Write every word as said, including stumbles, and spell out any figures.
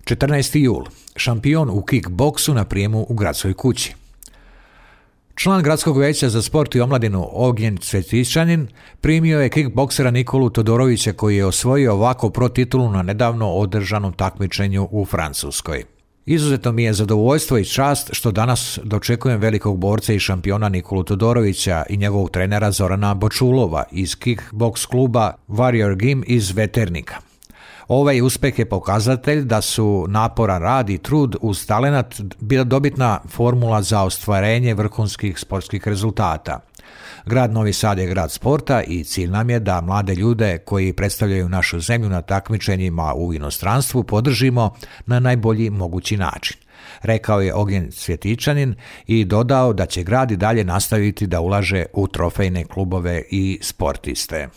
četrnaesti jul. Šampion u kickboksu na prijemu u gradskoj kući. Član Gradskog vijeća za sport i omladinu Ognjen Cvjetičanin primio je kickboksera Nikolu Todorovića koji je osvojio ovako pro titulu na nedavno održanom takmičenju u Francuskoj. Izuzetno mi je zadovoljstvo i čast što danas dočekujem velikog borca i šampiona Nikolu Todorovića i njegovog trenera Zorana Bočulova iz kickboks kluba Warrior Gym iz Veternika. Ovaj uspjeh je pokazatelj da su naporan rad i trud uz talenat bila dobitna formula za ostvarenje vrhunskih sportskih rezultata. Grad Novi Sad je grad sporta i cilj nam je da mlade ljude koji predstavljaju našu zemlju na takmičenjima u inostranstvu podržimo na najbolji mogući način, rekao je Ognjen Cvjetičanin i dodao da će grad i dalje nastaviti da ulaže u trofejne klubove i sportiste.